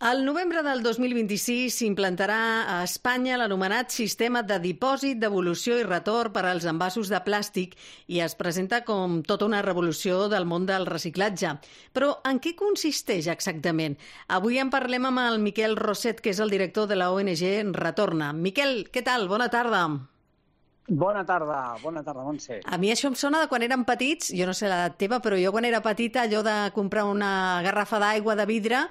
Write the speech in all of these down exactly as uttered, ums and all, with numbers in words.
Al novembre del dos mil vint-i-sis s'implantarà a Espanya l'anomenat sistema de dipòsit, devolució i retorn per als envasos de plàstic i es presenta com tota una revolució del món del reciclatge. Però en què consisteix exactament? Avui en parlem amb el Miquel Roset, que és el director de la O N G Retorna. Miquel, què tal? Bona tarda. Bona tarda, bona tarda, Montse. A mi això em sona de quan érem petits, jo no sé l'edat teva, però jo quan era petita, allò de comprar una garrafa d'aigua de vidre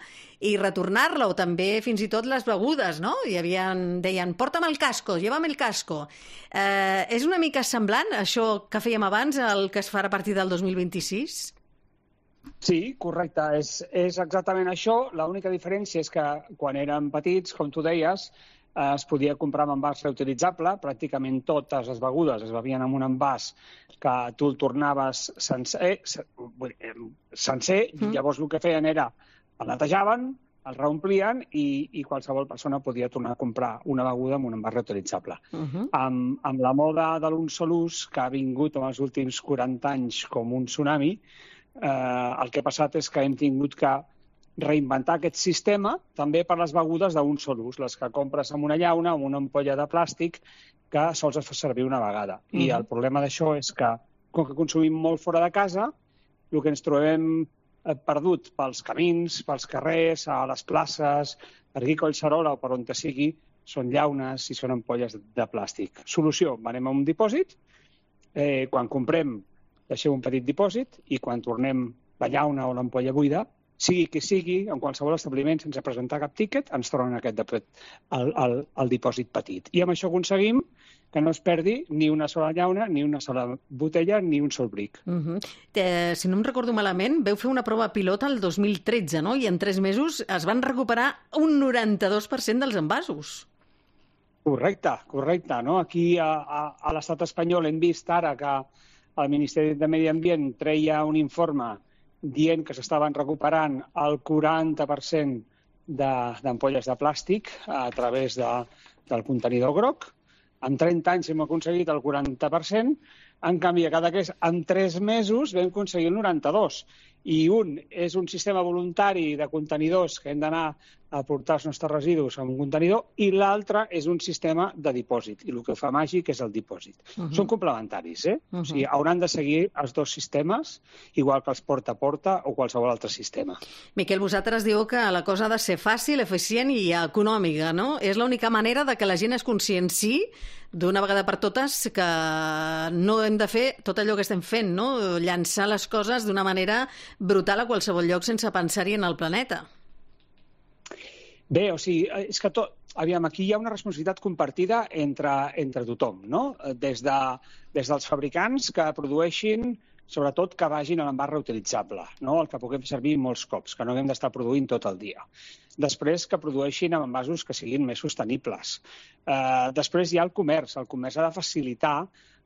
i retornar-la, o també fins i tot les begudes, no? Hi havia, deien, porta'm el casco, llévame el casco. Eh, és una mica semblant, això que fèiem abans, el que es farà a partir del dos mil vint-i-sis? Sí, correcte, és, és exactament això. L'única diferència és que quan érem petits, com tu deies, es podia comprar amb envàs reutilitzable. Pràcticament totes les begudes es bevien amb un envàs que tu el tornaves sencer, sencer mm. i llavors el que feien era el netejaven, el reomplien i, i qualsevol persona podia tornar a comprar una beguda amb un envàs reutilitzable. Uh -huh. amb, amb la moda de l'un sol ús, que ha vingut en els últims quaranta anys com un tsunami, eh, el que ha passat és que hem tingut que reinventar aquest sistema també per les begudes d'un sol ús, les que compres amb una llauna, amb una ampolla de plàstic, que sols es fa servir una vegada. Uh-huh. I el problema d'això és que, com que consumim molt fora de casa, el que ens trobem perdut pels camins, pels carrers, a les places, per aquí Collserola o per on te sigui, són llaunes i són ampolles de plàstic. Solució, anem a un dipòsit, eh, quan comprem deixem un petit dipòsit i quan tornem la llauna o l'ampolla buida, sigui qui sigui, en qualsevol establiment, sense presentar cap tíquet, ens tornen aquest depòsit, el, el, el dipòsit petit. I amb això aconseguim que no es perdi ni una sola llauna, ni una sola botella, ni un sol bric. Uh-huh. eh, si no em recordo malament, veu fer una prova pilota el dos mil tretze, no? I en tres mesos es van recuperar un noranta-dos per cent dels envasos. Correcte, correcte. No? Aquí a, a, a l'estat espanyol hem vist ara que el Ministeri de Medi Ambient treia un informe dient que s'estaven recuperant el quaranta per cent d'ampolles de, de plàstic a través de, del contenidor groc. En trenta anys hem aconseguit el quaranta per cent, en canvi, a cada que és en tres mesos vam aconseguir el noranta-dos. I un és un sistema voluntari de contenidors que hem d'anar a portar els nostres residus a un contenidor i l'altre és un sistema de dipòsit. I el que fa màgic és el dipòsit. Uh-huh. Són complementaris, eh? Uh-huh. O sigui, hauran de seguir els dos sistemes, igual que els porta a porta o qualsevol altre sistema. Miquel, vosaltres diu que la cosa ha de ser fàcil, eficient i econòmica, no? És l'única manera de que la gent es conscienci d'una vegada per totes que no hem de fer tot allò que estem fent, no? Llançar les coses d'una manera brutal a qualsevol lloc sense pensar-hi en el planeta. Bé, o sigui, és que tot... Aviam, aquí hi ha una responsabilitat compartida entre, entre tothom, no? Des, de, des dels fabricants que produeixin, sobretot que vagin a l'envàs reutilitzable, no? El que puguem fer servir molts cops, que no haguem d'estar produint tot el dia. Després, que produeixin amb envasos que siguin més sostenibles. Eh, després hi ha el comerç. El comerç ha de facilitar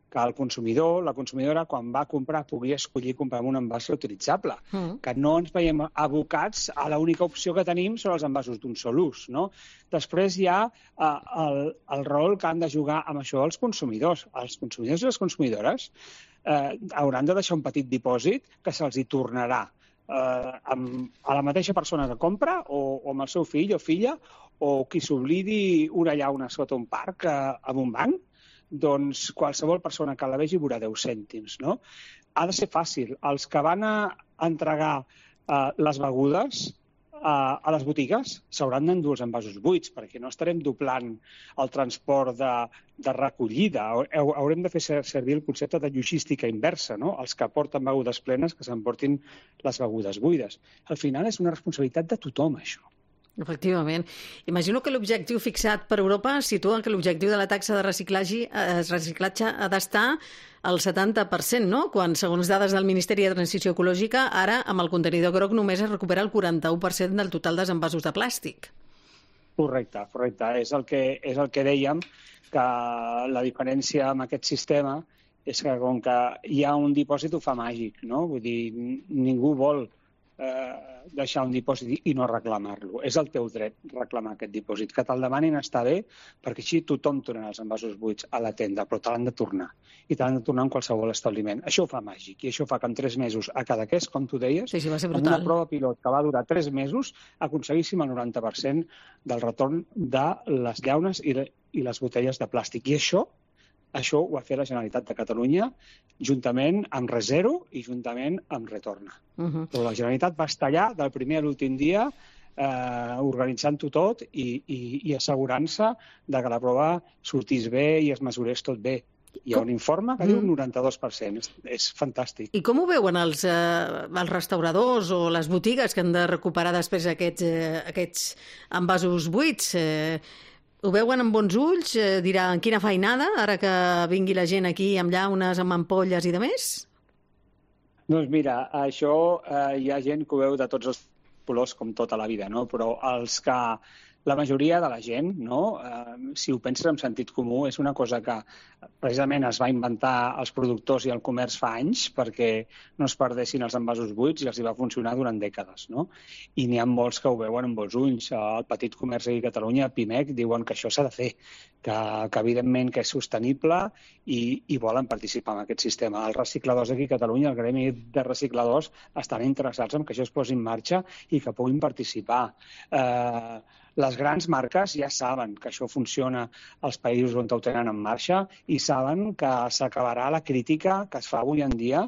que el consumidor, la consumidora, quan va a comprar, pugui escollir comprar un envàs reutilitzable. Mm. Que no ens veiem abocats a l'única opció que tenim són els envasos d'un sol ús, no? Després hi ha eh, el, el rol que han de jugar amb això els consumidors. Els consumidors i les consumidores eh, hauran de deixar un petit dipòsit que se'ls hi tornarà eh, amb, a la mateixa persona que compra o, o amb el seu fill o filla o qui s'oblidi una llauna sota un parc eh, amb un banc, doncs qualsevol persona que la vegi veurà deu cèntims, no? Ha de ser fàcil. Els que van a entregar eh, les begudes eh, a les botigues s'hauran d'endur els envasos buits, perquè no estarem doblant el transport de, de recollida. Haurem de fer servir el concepte de logística inversa, no? Els que porten begudes plenes que s'emportin les begudes buides. Al final és una responsabilitat de tothom, això. Efectivament. Imagino que l'objectiu fixat per Europa situa que l'objectiu de la taxa de reciclatge, eh, reciclatge ha d'estar al setanta per cent, no? Quan, segons dades del Ministeri de Transició Ecològica, ara amb el contenidor groc només es recupera el quaranta-u per cent del total dels envasos de plàstic. Correcte, correcte. És el que, és el que dèiem, que la diferència amb aquest sistema és que com que hi ha un dipòsit ho fa màgic, no? Vull dir, ningú vol eh, deixar un dipòsit i no reclamar-lo. És el teu dret reclamar aquest dipòsit. Que te'l demanin està bé, perquè així tothom tornarà els envasos buits a la tenda, però te l'han de tornar. I te l'han de tornar en qualsevol establiment. Això ho fa màgic, i això fa que en tres mesos a Cadaqués, com tu deies, sí, sí, va ser amb una prova pilot que va durar tres mesos, aconseguíssim el noranta per cent del retorn de les llaunes i, le, i les botelles de plàstic. I això Això ho va fer la Generalitat de Catalunya juntament amb Rezero i juntament amb Retorna. Uh -huh. Però la Generalitat va estar allà del primer a l'últim dia eh, organitzant-ho tot i, i, i assegurant-se de que la prova sortís bé i es mesurés tot bé. Hi ha un informe que diu un noranta-dos per cent. És, és fantàstic. I com ho veuen els, eh, els restauradors o les botigues que han de recuperar després aquests, eh, aquests envasos buits? Eh, Ho veuen amb bons ulls? Eh, diran, quina feinada, ara que vingui la gent aquí amb llaunes, amb ampolles i de més? Doncs mira, això eh, hi ha gent que ho veu de tots els colors com tota la vida, no? Però els que la majoria de la gent, no? eh, si ho penses amb sentit comú, és una cosa que precisament es va inventar els productors i el comerç fa anys perquè no es perdessin els envasos buits i els hi va funcionar durant dècades, no? I n'hi ha molts que ho veuen amb bons ulls. El petit comerç aquí a Catalunya, Pimec, diuen que això s'ha de fer, que, que evidentment que és sostenible i, i volen participar en aquest sistema. Els recicladors aquí a Catalunya, el gremi de recicladors, estan interessats en que això es posi en marxa i que puguin participar. Eh, Les grans marques ja saben que això funciona als països on ho tenen en marxa i saben que s'acabarà la crítica que es fa avui en dia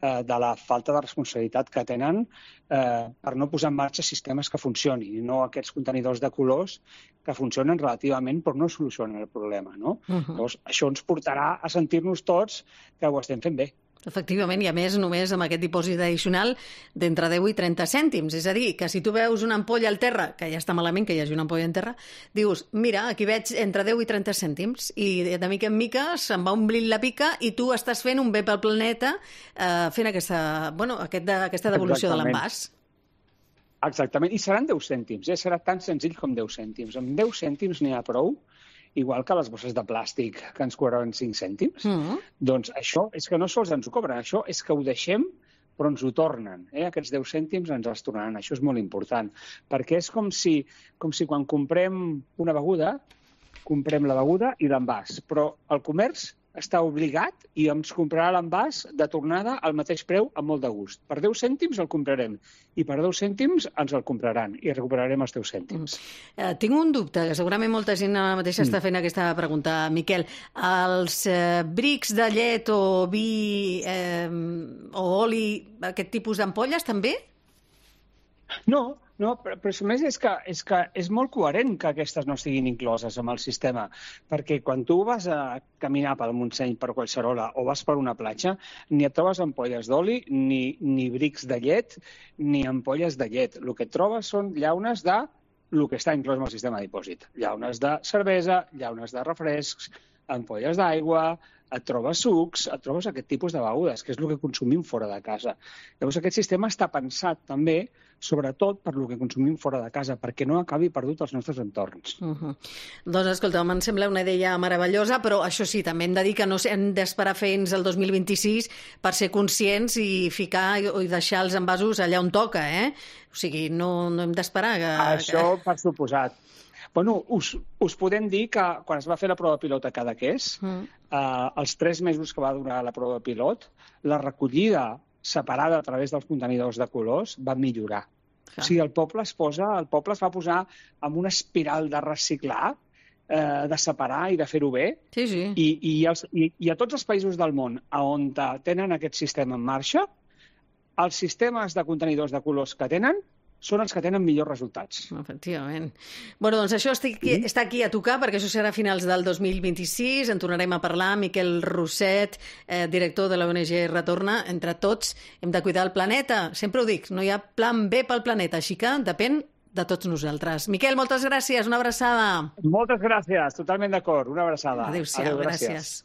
eh, de la falta de responsabilitat que tenen eh, per no posar en marxa sistemes que funcionin i no aquests contenidors de colors que funcionen relativament però no solucionen el problema, no? Uh -huh. Llavors, això ens portarà a sentir-nos tots que ho estem fent bé. Efectivament, i a més només amb aquest dipòsit addicional d'entre deu i trenta cèntims. És a dir, que si tu veus una ampolla al terra, que ja està malament que hi hagi una ampolla en terra, dius, mira, aquí veig entre deu i trenta cèntims, i de mica en mica se'n va omplint la pica i tu estàs fent un bé pel planeta eh, fent aquesta, bueno, aquest de, aquesta devolució de l'envàs. Exactament, i seran deu cèntims, eh? Serà tan senzill com deu cèntims. Amb deu cèntims n'hi ha prou, igual que les bosses de plàstic que ens cobraven cinc cèntims. Mm-hmm. Doncs això és que no sols ens ho cobren, això és que ho deixem però ens ho tornen. Eh? Aquests deu cèntims ens els tornaran. Això és molt important, perquè és com si, com si quan comprem una beguda, comprem la beguda i l'envàs, però el comerç està obligat i ens comprarà l'envàs de tornada al mateix preu amb molt de gust. Per deu cèntims el comprarem i per deu cèntims ens el compraran i recuperarem els deu cèntims. Mm. Eh, tinc un dubte, que segurament molta gent ara mateix mm. està fent aquesta pregunta. Miquel, els eh, brics de llet o vi eh, o oli, aquest tipus d'ampolles també? No, no, però, però a més és que, és que és molt coherent que aquestes no estiguin incloses amb el sistema, perquè quan tu vas a caminar pel Montseny, per Collserola o vas per una platja, ni et trobes ampolles d'oli, ni, ni brics de llet, ni ampolles de llet. El que et trobes són llaunes de el que està inclòs en el sistema de dipòsit. Llaunes de cervesa, llaunes de refrescs, ampolles d'aigua, et trobes sucs, et trobes aquest tipus de begudes, que és el que consumim fora de casa. Llavors aquest sistema està pensat també, sobretot per el que consumim fora de casa, perquè no acabi perdut als nostres entorns. Uh -huh. Doncs escolta, em sembla una idea meravellosa, però això sí, també hem de dir que no hem d'esperar fins al dos mil vint-i-sis per ser conscients i ficar i deixar els envasos allà on toca, eh? O sigui, no, no hem d'esperar que... Això per suposat. Bueno, us, us podem dir que quan es va fer la prova pilot a Cadaqués, mm. eh, els tres mesos que va durar la prova pilot, la recollida separada a través dels contenidors de colors va millorar. Ah. O sigui, el poble es posa, el poble es va posar en una espiral de reciclar, eh, de separar i de fer-ho bé. Sí, sí. I, i, els, i, I a tots els països del món on tenen aquest sistema en marxa, els sistemes de contenidors de colors que tenen són els que tenen millors resultats. Efectivament. Bueno, doncs això està aquí, està aquí a tocar, perquè això serà a finals del dos mil vint-i-sis. En tornarem a parlar. Miquel Roset, eh, director de l'O N G Retorna. Entre tots hem de cuidar el planeta. Sempre ho dic, no hi ha plan B pel planeta, així que depèn de tots nosaltres. Miquel, moltes gràcies. Una abraçada. Moltes gràcies. Totalment d'acord. Una abraçada. Adéu-siau. Adéu, gràcies. gràcies.